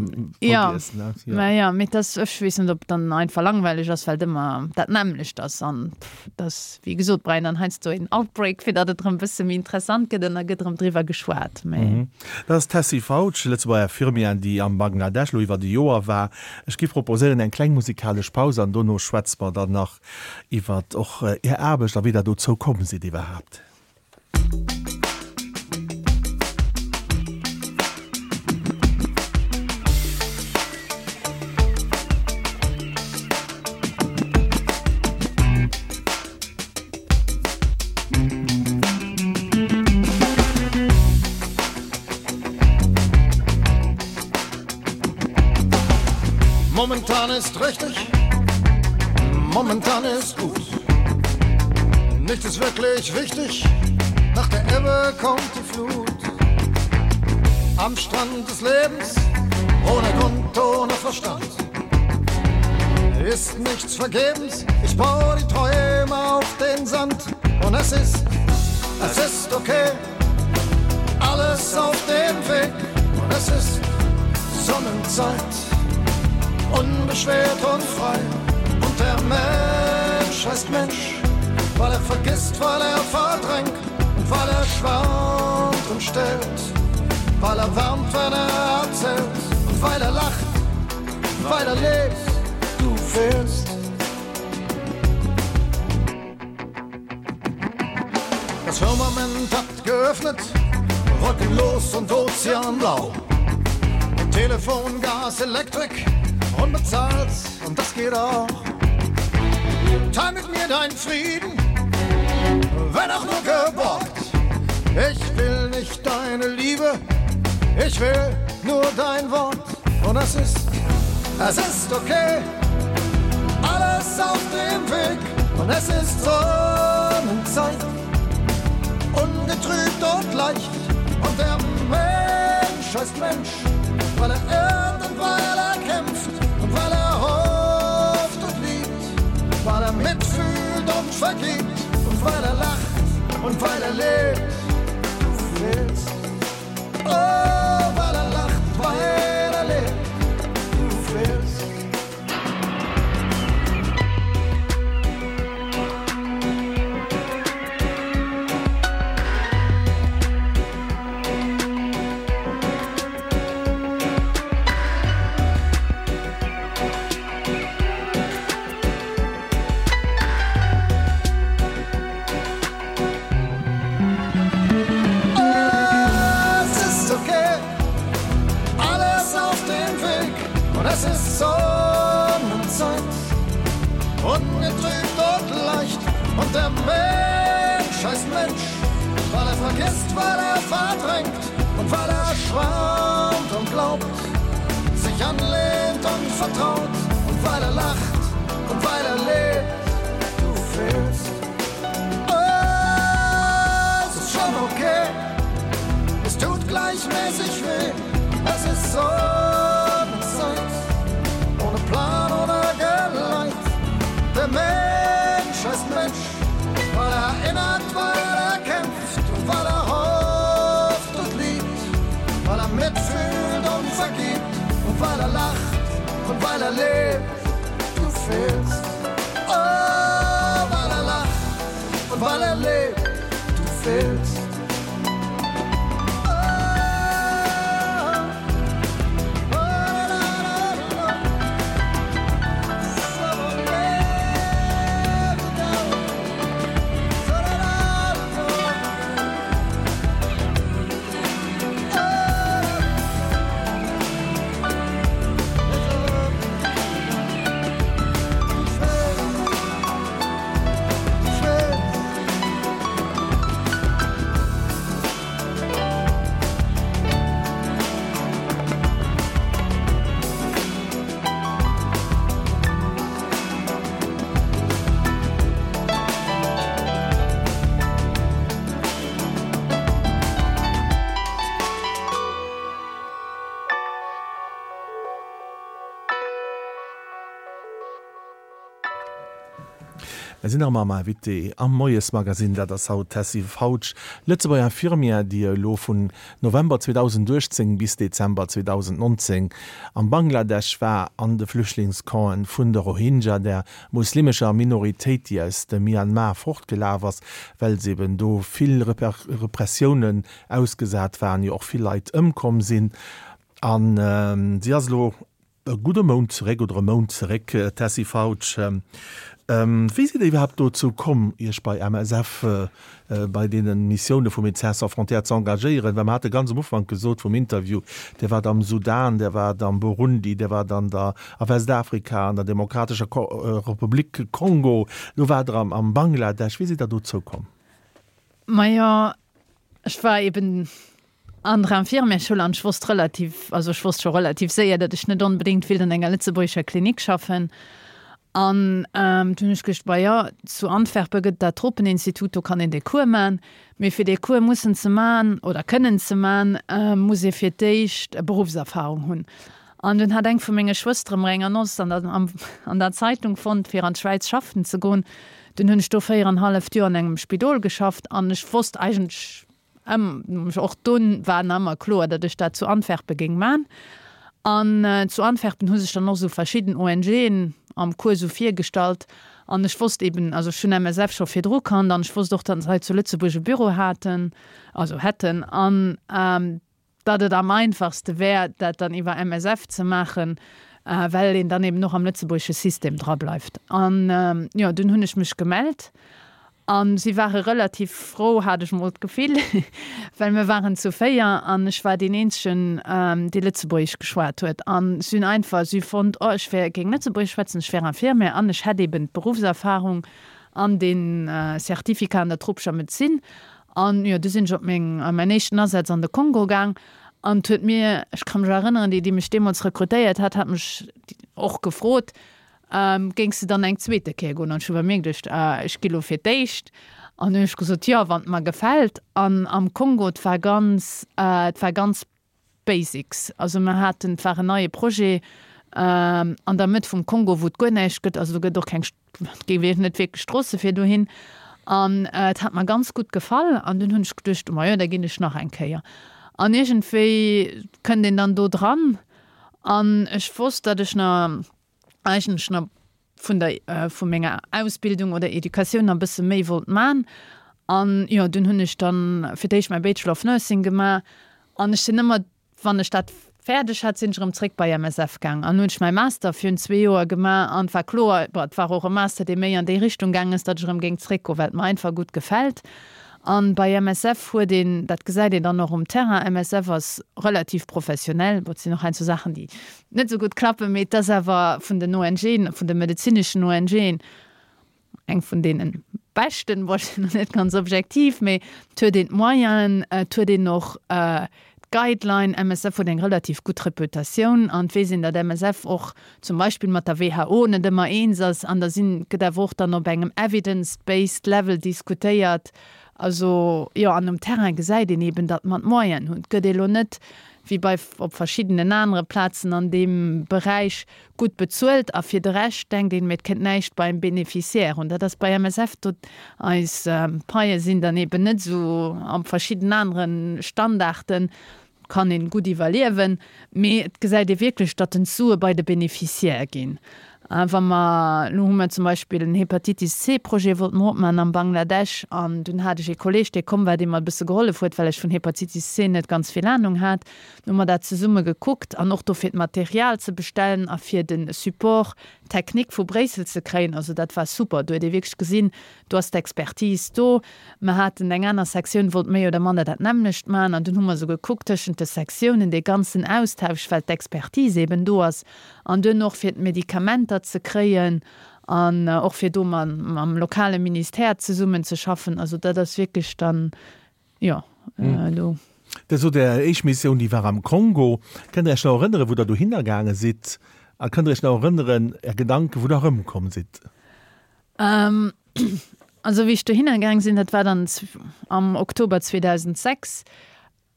Speaker 2: vergiess, ne? Jo, mä jo, mee et ass, ech weess net, ob et dann einfach langweileg ass, well et ëmmer dat nämmlecht ass an et ass, wéi gesot, brauch een dann heiansdo een Outbreak, fir datt et erëm e bësse méi interessant gëtt an da gëtt erëm driwwer geschwat,
Speaker 1: mee. Dat ass d'Tessy Fautsch, Lëtzebuerger Infirmière, déi am Bangladesch elo iwwert e Joer war. Ech géif proposéieren eng kleng musikalesch Paus an dono schwätze mer dann nach iwwert och Är Aarbecht a wéi Der dozou komm sidd iwwerhaapt.
Speaker 3: Momentan ist richtig, momentan ist gut. Nichts ist wirklich wichtig, nach der Ebbe kommt die Flut. Am Strand des Lebens, ohne Grund, ohne Verstand. Ist nichts vergebens, ich baue die Träume auf den Sand. Und es ist, es ist okay, alles auf dem Weg. Und es ist Sonnenzeit, unbeschwert und frei. Und der Mensch heißt Mensch, weil er vergisst, weil er verdrängt und weil er schwant und stellt, weil er wärmt, wenn er erzählt und weil er lacht, weil er lebt, du fehlst. Das Firmament hat geöffnet, wolkenlos und ozeanblau. Telefon, Gas, Elektrik, unbezahlt und das geht auch. Teil mit mir deinen Frieden, wenn auch nur geborgt. Ich will nicht deine Liebe, ich will nur dein Wort. Und es ist, es ist okay, alles auf dem Weg. Und es ist Sonnenzeit, ungetrübt und leicht. Und der Mensch heißt Mensch, weil er irrt und weil er kämpft und weil er hofft und liebt, weil er mitfühlt und vergibt und weil er lacht und weil er lebt. Du fehlst. Oh, weil er lacht, weil er lebt. Du fehlst. Es ist okay, alles auf dem Weg und es ist Sonnenzeit, ungetrübt und leicht und der Mensch heißt Mensch, weil er vergisst, weil er verdrängt und weil er schwärmt und glaubt, sich anlehnt und vertraut und weil er lacht und weil er lebt, du fehlst. Oh, es ist schon okay, es tut gleichmäßig weh, es ist Sonnenzeit, ohne Plan oder Geleit. Der Mensch heißt Mensch, weil er erinnert, weil er kämpft. Und weil er lacht und weil er lebt, du fehlst. Oh, weil er lacht und weil er lebt, du fehlst.
Speaker 1: Mir sinn nach ëmmer am Invité am Moiesmagazine, dat ass haut d'Tessy Fautsch, Lëtzebuerger Infirmière, déi elo vun November 2018 bis Dezember 2019 am Bangladesch war, an de Flüchtlingscampen vun de Rohingya, der muslimescher Minoritéit, déi aus dem Myanmar fortgelaf ass, well se eben do vill Repressiounen ausgesat waren, jo och vill Leit ëmkomm sinn. A si ass elo e gudde Mount zeréck oder e Mount zeréck, Tessy Fautsch. Wéi sidd Der iwwerhaapt dozou komm, Iech bei MSF, bei deene Missioune vu Médecins sans frontières ze engagéieren? Well mer hate ganz am Ufank gesot vum Interview, Dir waart am Sudan, Dir waart am Burundi, Dir waart an der, a Westafrika, an der Demokratescher Republik Kongo, elo waart Der am Bangladesch. Wéi sidd Der dozou komm?
Speaker 2: Majo, ech war eben an der Infirmièreschoul an ech wosst relativ, also ech wosst scho relativ séier, datt ech net onbedéngt willt an enger lëtzebuergescher Klinik schaffen. An dunn hunn ech geduecht, bah jo, zu Antwerpen gëtt et dat Tropeninstitut, do kann een dee Cours man. Mee fir dee Cours mussen ze man oder kënnen ze man, muss ee fir d'éischt e Beruffserfahrung hunn. An dunn hat eng vu menge Schwëstere mer eng Annonce an der, an der Zeitung fonnt, fir an d'Schwäiz schaffen ze goen. Dunn hunn ech do véierenhalleft Joer an engem Spidol geschafft an ech wosst eigentlech ëm, och dunn war nach ëmmer kloer, datt ech dat zu Antwerpen géing man. An zu Antwerpen hu sech dann och esou verschidden ONGen am Cours esou virgestallt an ech wosst eben, also ech hunn MSF scho virdru kannt an ech wosst och, datt se hei zu Lëtzebuerg e Büro haten, also hätten an, datt et am einfachste wär, dat dann iwwer MSF ze maachen, well een dann eben och am lëtzebuergesche System dra bleift. An jo, dunn hunn ech mech gemellt a si ware relativ frou, hat ech mol d'Gefill, well mir waren zu 4 an ech war deen eenzegen, dee Lëtzebuergesch geschwat huet. An si hunn einfach, si hu fonnt, oh, ech wär, géing Lëtzebuergesch schwätzen, ech wär Infirmière an ech hätt eben d'Beruffserfahrung an dee Certificat an der tropescher Medezin. An jo, du sinn ech op meng, a mäin éischten Asaz an de Kongo gaang. An 't huet mir, ech ka mech erënneren, déi, déi mech deemools rekrutéiert hat, hat mech och gefrot, Géings de dann eng zweete Kéier goen? An ech hu bei mir geduecht, ech gi lo fir d'éischt. An hunn ech gesot, jo, wann et mer gefält. An am Kongo, 't war ganz, 't war ganz Basics. Also mer haten, et war en neie Projet an der Mëtt vum Kongo, wou et guer näischt gëtt, also do gëtt och keng, et gi net wierklech Stroosse fir dohin. An et hat mer ganz gutt gefall an dunn hunn ech geduecht, majo, da ginn ech nach eng Kéier. An iergendwéi kënnt een dann do dran an ech wosst, datt ech nach eigentlech nach vun der, vu menger Ausbildung oder Educatioun nach e bësse méi wollt man. An jo, dunn hunn ech dann fir d'éischt mäi Bachelor of Nursing gemaach an ech sinn ëmmer, wann ech dat fäerdeg hat, sinn ech erëm zréck bei MSF gaang an hunn ech mäi Master virun zwee Joer gemaach an et war kloer, bon, et war och e Master, dee méi an déi Richtung gaang ass, datt ech erëm géing zréckgoen, well et mer einfach gutt gefält. An bei MSF huet een, dat gesäit een dann och um Terrain, MSF ass relativ professionell, bon, et sinn och heiansdo Saachen, déi net esou gutt klappen, mee et ass awer vun den ONGen, vun de medezineschen ONGen, eng vun deene beschten, bon, ech sinn elo net ganz objektiv, mee et huet een d'Moyenen, et huet een och d'Guideline, MSF huet eng relativ gutt Reputatioun an et weess een, datt MSF och zum Beispill mat der WHO net ëmmer eens ass an da sinn, gëtt awer och dann op engem evidence-based level diskutéiert. Also jo, an um Terrain gesäit een eeben, datt mer d'Moyenen hunn. Et gëtt elo net wéi bei op verschiddenen anere Plazen an deem Beräich gutt bezuelt a fir de Rescht denkt een, mee et kënnt näischt beim Bénéficiaire un. Dat ass bei MSF do, eis Paie sinn dann eeben net esou a verschidden anere Standarden. Kann een gutt iwwerliewen, mee et gesäit ee wierklech, datt den d'Sue bei de Beneficiaire ginn. Wa mer, elo hu mer zum Beispill en Hepatitis C Projet wollte mer opmaachen am Bangladesch an dunn hat ech ee Kolleg, dee komm war, dee mer e bësse gehollef huet, well ech vun Hepatitis C net ganz vill Anung hat. Dann hu mer dat zesumme gekuckt an och do fir d'Material ze bestellen a fir de Support technique vu Bréissel ze kréien. Also dat war super, do huet ee wierklech gesinn, Do ass d'Expertise do. Mer haten eng aner Sektioun, wollt méi oder manner dat nämmlecht maachen. An dunn hu mer esou gekuckt tëschent de Sektiounen, dee ganzen Austausch, well d'Expertise eben do ass. An duerno och fir d'Medikamenter ze kréien an och fir do mam lokale Ministère zesummenzeschaffen. Also dat ass wierklech dann, jo, do.
Speaker 1: Dir sot, Är éischt Missioun, déi war am Kongo. Kënnt Der Iech nach erënneren, wou Der dohinner gaange sidd? A kënnt Der Iech nach erënneren, Är Gedanken, wou Der erëmkomm sidd?
Speaker 2: Also wéi ech dohinner gaang sinn, dat war dann am Oktober 2006,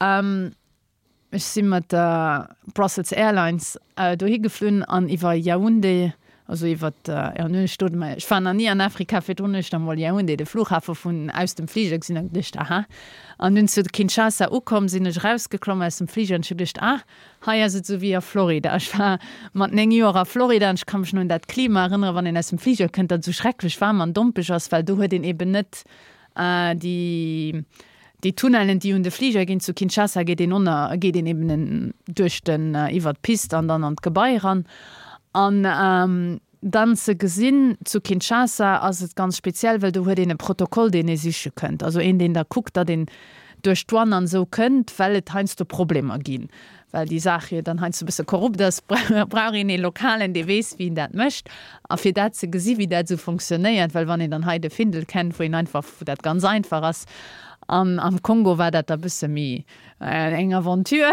Speaker 2: ech si mat der Brussels Airlines dohi geflunn an iwwer Yaoundé, also iwwer, jo nun ech do, ech war nach ni an Afrika virdrun, hunn ech da mol Yaoundé, de Flughafe vun aus dem Fliger gesinn a geduecht, aha. An dunn zu Kinshasa ukomm, sinn ech erausgeklomm aus dem Fliger an ech hu geduecht, ah, Hei ass et esou wéi a Florida. Ech war mat 9 Joer a Florida an ech ka mech nach un dat Klima erënneren, wann een aus dem Fliger kënnt, datt et esou schrecklech waarm an dompeg ass, well do huet een eben net déi déi Tunnellen, déi un de Fliger ginn. Zu Kinshasa geet een onnner, geet een eben duerch den, iwwer d'Pist an dann an d'Gebai eran. An Dann ze gesinn, zu Kinshasa ass et ganz speziell, well do huet een e Protokoll, deen ee siche kënnt, also een, deen da kuckt, datt een duerch d'Douane an esou kënnt, well et heiansdo Problemer ginn, well déi Saach jo dann heiansdo e bësse korrupt ass, brauch een ee Lokalen, dee weess, wéi een dat mécht. A fir dat ze gesi wéi dat esou fonctionnéiert, well wann een dann hei de Findel kennt, wou een einfach, wou dat ganz einfach ass, an am Kongo war dat da bësse méi Eng Aventure.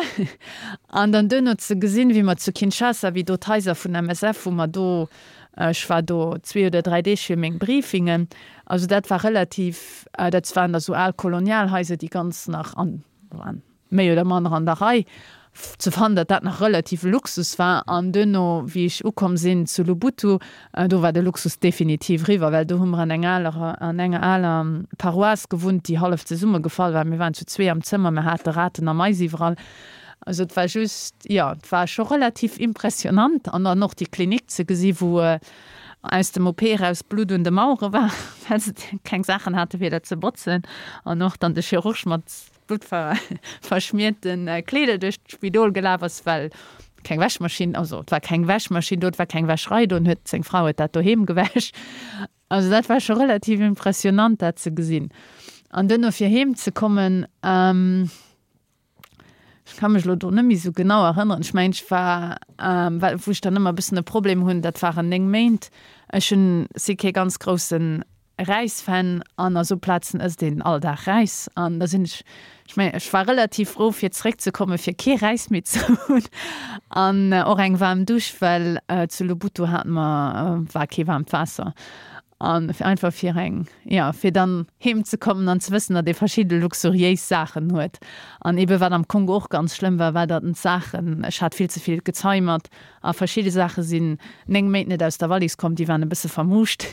Speaker 2: An dann duerno ze gesinn, wéi mer zu Kinshasa, wéi do d'Haiser vun MSF, wou mer do, ech war do zwee oder dräi Deeg fir meng Briefingen, also dat war relativ, dat waren da sou al Kolonialhaiser, déi ganz nach an, waren méi oder manner an der Rei, ze fannen, datt dat nach relative Luxus war. An duerno, wéi ech ukomm sinn zu Lubutu, Do war de Luxus definitiv riwwer, well do hu mer an eng aler, an enger aler Paroisse gewunnt, déi hallef zesummegefall war. Mir waren zu zwee am Zëmmer, mir hate Raten a Mais iwwerall. Also et war just, jo, et war scho relativ impressionant. An dann och déi Klinik ze gesi wou aus dem OP eraus Blutt un de Mauere war, well se keng Saachen hate fir dat ze botzen. An och dann de Chirurg mat bluttverschmierten Kleeder duerch d'Spidol gelaf ass, well keng Wäschmaschinn, also et war keng Wäschmaschinn do, et war keng Wäscherei do, an huet seng Fra huet dat doheem gewäsch. Also dat war scho relativ impressionant dat ze gesinn. An duerno fir heem ze kommen, ech ka mech elo do net méi esou genau erënneren, ech mengen ech war, well wou ech dann ëmmer e bëssen e Problem hunn, dat waren 9 Méint, ech hunn, si kee ganz groussen Räis-Fan an a sou Plazen ësst een all Dag Räis an da sinn ech, ech mengen ech war relativ frou fir zeréck ze komme fir kee Räis méi ze hunn an och eng waarm Dusch, well zu Lubutu hate mer war kee waarmt Waasser an einfach fir eng, jo fir dann heem ze kommen an ze wëssen, datt ee verschidde luxuriéis Saachen huet an ebe wat am Kongo och ganz schlëmm war, war datt en d'Saachen, ech hat vill ze vill Gezei mat a verschidde Saache sinn 9 Méint net aus der Wallis komm, déi waren e bësse vermuuscht.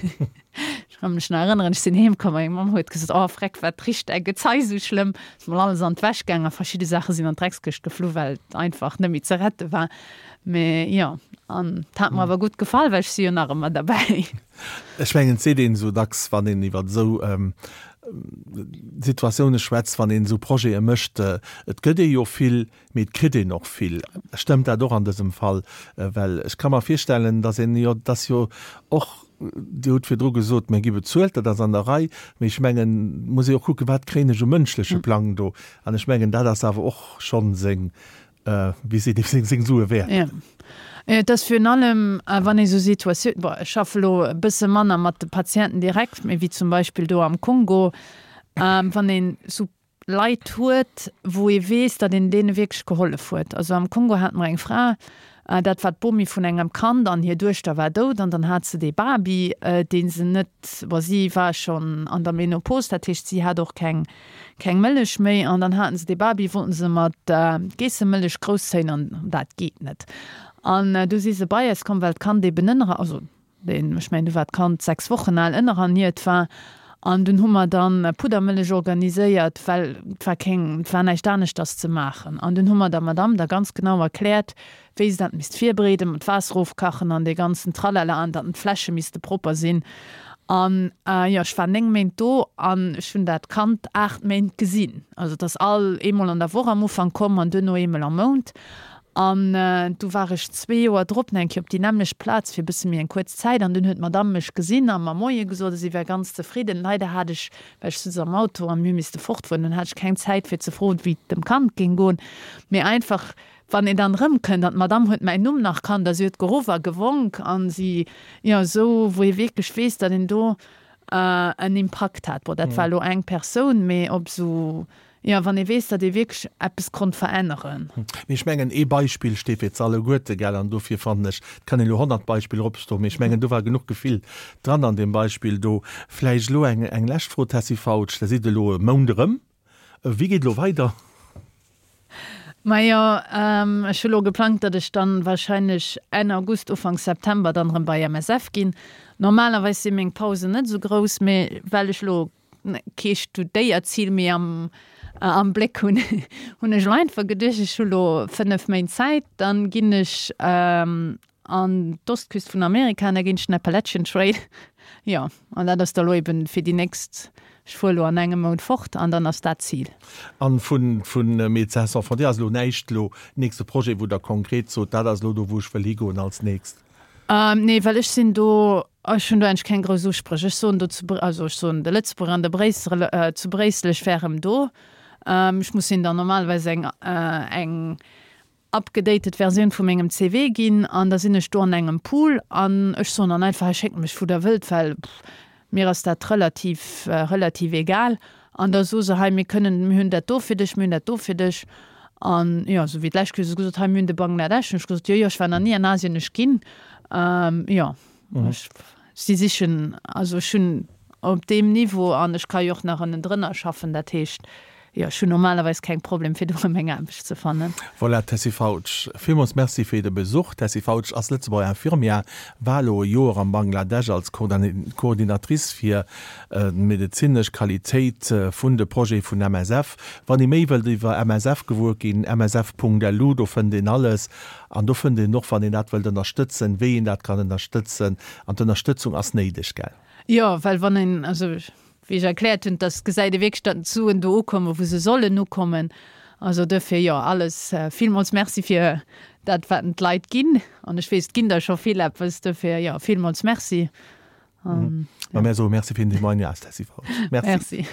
Speaker 2: Ech ka mech nach erënneren, ech sinn heem komm a meng Mamm huet gesot, Oh Freck, wat richt däi Gezei sou schlëmm? Ass mol alles an d'Wäsch gaang a verschidde Saache sinn an d'Dreckskëscht geflu, well et einfach net méi ze rette war. Mee jo, an et hat mer awer gutt gefall, well ech si jo nach ëmmer derbäi.
Speaker 1: Ech mengen, et seet een esou dacks, wann een iwwer esou Situatioune schwätzt, wann een esou Projete mécht, et gëtt ee jo vill, Mee et kritt een och vill. Stëmmt dat och an dësem Fall? Well ech ka mer virstellen, dass een jo, dass jo och, Dir hutt virdru gesot, mir gi bezuelt, dat ass an der Rei, mee ech mengen, et muss ee och kucken, wat kréien ech um mënschleche Plang do? An ech mengen, dat ass awer och schonn seng, wéi seet ee, seng, seng Sue wäert.
Speaker 2: Jo. Et ass virun allem, wann ee sou Situatioun, bon, ech schaffe elo e bësse manner mat de Patienten direkt, mee wéi zum Beispill do am Kongo, wann een sou Leit huet, wou ee weess, datt een deene wierklech gehollef huet. Also am Kongo hate mer eng Fra, dat war d'Bomi vun engem Kand an hir Duechter war dout an dann hat se dee Baby, dee se net, bon, si war schonn an der Menopause, dat heescht, si hat och keng, keng Mëllech méi an dann haten se dee Baby, wollten se mat Geessemëllech grousszéien an dat geet net. An du si se bei eis komm, well d'Kand eben ënner, also Deen, ech mengen, du war d'Kand 6 Wochen al, ënnererniert war. An dunn hu mer dann Puddermëllech organiséiert, well et war keng, et war näischt aneschters ze maachen. An dunn hu mer der Madamm da ganz genau erkläert, wéi se dat misst virbereeden, mat Waasser ofkachen an dee ganzen Tralala an datt d'Fläsche misste propper sinn. An jo, ech war 9 Méint do an ech hunn dat Kand 8 Méint gesinn. Also et ass all eemol an der Woch am Ufank komm an duerno eemol am Mount. An du war ech zwee Joer drop nach eng Kéier op déi nämmlecht Plaz fir e bësse méi eng kuerz Zäit an dunn huet d'Madamm mech gesinn a mer Moie gesot a si war ganz zefridden. Leider hat ech, well ech sutz am Auto a mir hu misste fortfueren, dunn hat ech keng Zäit fir ze froen, wéi et dem Kand géing goen. Mee einfach wann een dann erëmkënnt an d'Madamm huet mäin Numm nach kannt a si huet geruff a gewonk an si, jo, esou wou ee wierklech weess, datt een do en Impakt hat. Bon, dat war elo eng Persoun, mee op esou, jo, wann ee weess, datt ee wierklech eppes konnt veränneren.
Speaker 1: Mee ech mengen, ee Beispill steet fir z'alleguerte, gell, an dofir fannen ech, et kann een elo 100 Beispiller opstoen, mee ech mengen, do war genuch Gefill dran an deem Beispill do. Vläicht elo eng, eng lescht Fro, Tessy Fautsch, Der sidd elo e Mount erëm. Wéi geet elo weider?
Speaker 2: Majo, ech hu lo geplangt, datt ech dann wahrscheinlech Enn August, Ufank September dann erëm bei MSF ginn. Normalerweis si meng Pausen net esou grouss, mee well ech lo kee Studéierzil méi am am Bléck hunn, hunn ech lo einfach geduecht, ech hu lo 5 Méint Zäit, dann ginn ech An d'Ostküst vun Amerika, an da ginn ech den Appalachian Trail. Jo, an dat ass da lo eben fir déi nächst, ech fuer lo an engem Mount fort an dann ass dat d'Zil.
Speaker 1: An vun vun Médecins Sans Frontières ass elo näischt elo nächste Projet, wou Der konkret sot, dat ass elo do wou ech wëll higoen als nächst?
Speaker 2: Nee, well ech sinn do, ech hunn do eigentlech keng grouss Uspréch. Ech soen do zu, also ech soen de Lëtzebuerger an de Bréisseler, zu Bréissel, ech wär erëm do. Ech muss hinnen dann normalerweis eng eng upgedated Versioun vu mengem CV ginn an da sinn ech do an engem Pool an ech soen dann einfach, hei schéckt mech wou der wëllt, well mir ass dat relativ relativ egal an da soe se, hei mir kënnen, mir hunn dat do fir dech, mir hunn dat do fir dech an jo, esou wéi d'lescht Kéier hu se gesot, hei mir hunn de Bangladesch, hunn ech gesot, jo jo ech war nach ni an Asien, ech ginn, jo ech. Si sichen, also ech hunn op deem Niveau an ech ka jo och nach ënnendrënner schaffen, dat heescht, jo, ech hunn normalerweis keng Problem fir do erëm eng Aarbecht ze fannen.
Speaker 1: Voilà, Tessy Fautsch, villmools Merci fir de Besuch. D'Tessy Fautsch ass Lëtzebuerger Infirmière, war elo e Joer am Bangladesch als Coordinatrice fir d'medezinesch Qualitéit vun de Projete vun MSF. Wann ee méi wëllt iwwer MSF gewuer ginn, msf.lu, do fënnt een alles. An do fënnt een och, wann een dat wëllt ënnerstëtzen, wéi een dat kann ënnerstëtzen. An d'Ënnerstëtzung ass néideg, gell?
Speaker 2: Jo, well wann een, also wéi ech erkläert hunn, dass gesäit ee wierklech, datt d'Suen do ukommen, wou se sollen ukommen. Also duerfir, jo, alles villmools Merci fir dat, wat en d'Leit ginn. An ech weess, et ginn der scho vill eppes. Duerfir, jo, villmools Merci.
Speaker 1: An, jo. A mär soe Merci fir den Témoignage, Tessy Fautsch. Merci.
Speaker 2: Merci.